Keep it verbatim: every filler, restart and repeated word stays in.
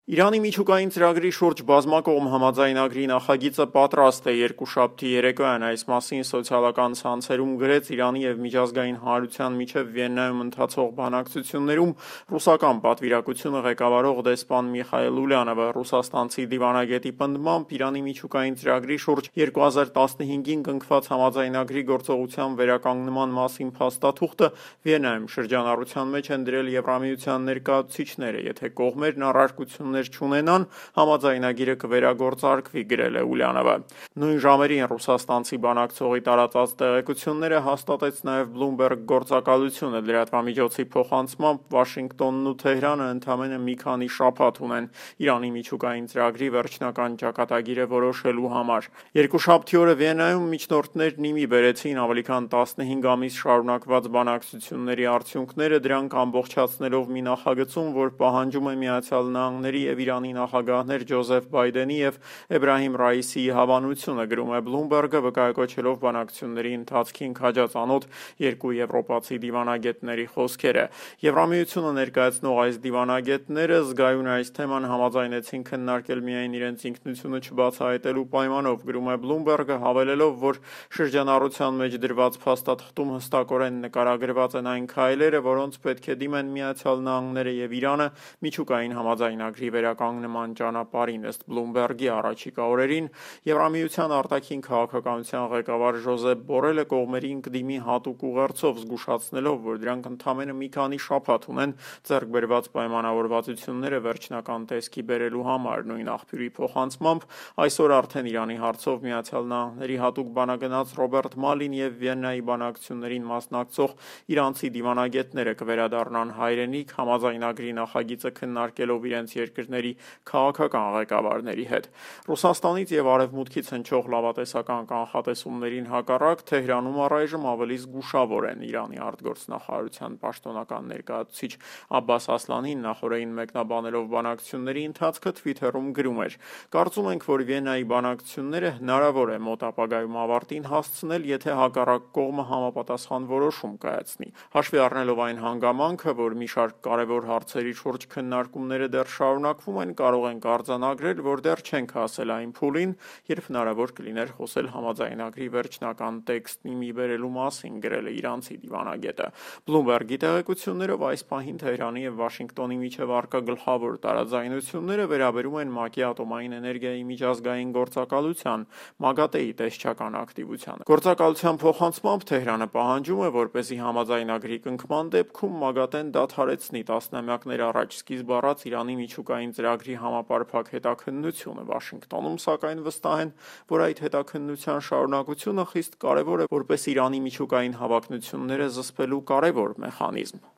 Իրանի միջուկային ծրագրի շուրջ բազմակողմ համաձայնագրի նախագիծը պատրաստ է։ Երկուշաբթի երեկոյան այս մասին սոցիալական ցանցերում գրեց Իրանի և միջազգային հանրության միջև Վիեննայում ընթացող բանակցություններում ռուսական պատվիրակությունը ղեկավարող դեսպան Միխայիլ Ուլյանովը։ Ռուսաստանցի դիվանագետի պնդմամբ Իրանի միջուկային ծրագրի շուրջ երկու հազար տասնհինգին կնքված համաձայնագրի գործողության վերականգնման մասին փաստաթուղթը Վիեննայում շրջանառության մեջ են դրել Եվրամիության ներկայացուցիչները։ Եթե կողմերն առարկություններ չունենան, համաձայնագիրը կվերագործարկվի, գրել է Ուլյանովը։ Նույն ժամերին ռուսաստանցի բանակցողի տարածած տեղեկությունները հաստատեց նաև Bloomberg գործակալությունը։ Լրատվամիջոցի փոխանցմամբ Վաշինգտոնն ու Թեհրանը ընդամենը մի քանի շաբաթ ունեն Իրանի միջուկային ծրագրի վերջնական ճակատագիրը որոշելու համար։ Երկուշաբթի օրը Վիեննայում միջնորդներն ի մի բերեցին ավելի քան տասնհինգ ամիս շարունակված բանակցությունների արդյունքները, դրանք ամբողջացնելով մի նախագծում, որ պահանջում է Միացյալ Նահանգների և Իրանի նախագահներ Ջոզեֆ Բայդենի և Էբրահիմ Ռայիսիի հավանությունը, գրում է Bloomberg-ը, վկայակոչելով բանակցությունների ընթացքին քաջածանոթ երկու եվրոպացի դիվանագետների խոսքերը։ Եվրամիությունը ներկայացնող այս դիվանագետները զգայուն այս թեման համաձայնեցին քննարկել միայն իրենց ինքնությունը չբացահայտելու պայմանով, գրում է Bloomberg-ը, հավելելով, որ շրջանառության մեջ դրված փաստաթղթում հստակորեն նկարագրված են այն քայլերը, որոնց պետք է դիմեն Միացյալ Նահանգները և Իրանը միջուկային համաձայնագրի վերականգնման ճանապարհին։ Ըստ Bloomberg-ի առաջիկա օրերին Եվրամիության արտաքին քաղաքականության ղեկավար Ժոզեփ Բորելը կողմերին կդիմի հատուկ ուղերձով, զգուշացնելով, որ դրանք ընդամենը մի քանի շաբաթ ունեն ձեռք բերված պայմանավորվածությունները վերջնական տեսքի բերելու համար։ Նույն աղբյուրի փոխանցմամբ այսօր արդեն Իրանի հարցով Միացյալ Նահանգների հատուկ բանագնաց Ռոբերտ Մալին և Վիեննայի բանակցություններին մասնակցող իրանցի դիվանագետները կվերադառնան հայրենիք՝ համաձայնագրի նախագիծը քննարկելով իրենց երկրների քաղաքական ղեկավարների հետ։ Ռուսաստանից և Արևմուտքից հնչող լավատեսական կանխատեսումներին հակառակ Թեհրանում առայժմ ավելի զգուշավոր են։ Իրանի արտգործնախարարության պաշտոնական ներկայացուցիչ Աբբաս Ասլանին նախօրեին մեկնաբանելով բանակցությունների ընթացքը Twitter-ում գրում էր. «Կարծում ենք, որ Վիեննայի բանակցությունները հնարավոր է մոտ ապագայում ավարտին հասցնել, եթե հակառակ կողմը համապատասխան որոշում կայացնի։ Հաշվի առնելով այն հանգամանքը, որ մի շարք կարևոր հարցերի շուրջ քննարկումները դեռ շարունակվում են, կարող ենք արձանագրել, որ դեռ չենք հասել այն փուլին, երբ հնարավոր կլիներ խոսել համաձայնագրի վերջնական տեքստն ի մի բերելու մասին», գրել է իրանցի դիվանագետը։ Bloomberg-ի տեղեկություններով այս պահին Թեհրանի և Վաշինգտոնի միջև առկա գլխավոր տարաձայնությունները վերաբերում են ՄԱԿ-ի ատոմային էներգիայի միջազգային գործակալության ՄԱԳԱՏԷ-ի տեսչական ակտիվությանը։ Գործակալության փոխանցմամբ Թեհրանը պահանջում է, որպեսզի համաձայնագրի կնքման դեպքում ՄԱԳԱՏԷ-ն դադարեցնի տասնամյակներ առաջ սկիզբ առած Իրանի միջուկային ծրագրի համապարփակ հետաքննությունը։ Վաշինգտոնում, սակայն, վստահ են, որ այդ հետաքննության շարունակությունը խիստ կարևոր է որպես Իրանի միջուկային հավակնությունները զսպելու կարևոր մեխանիզմ։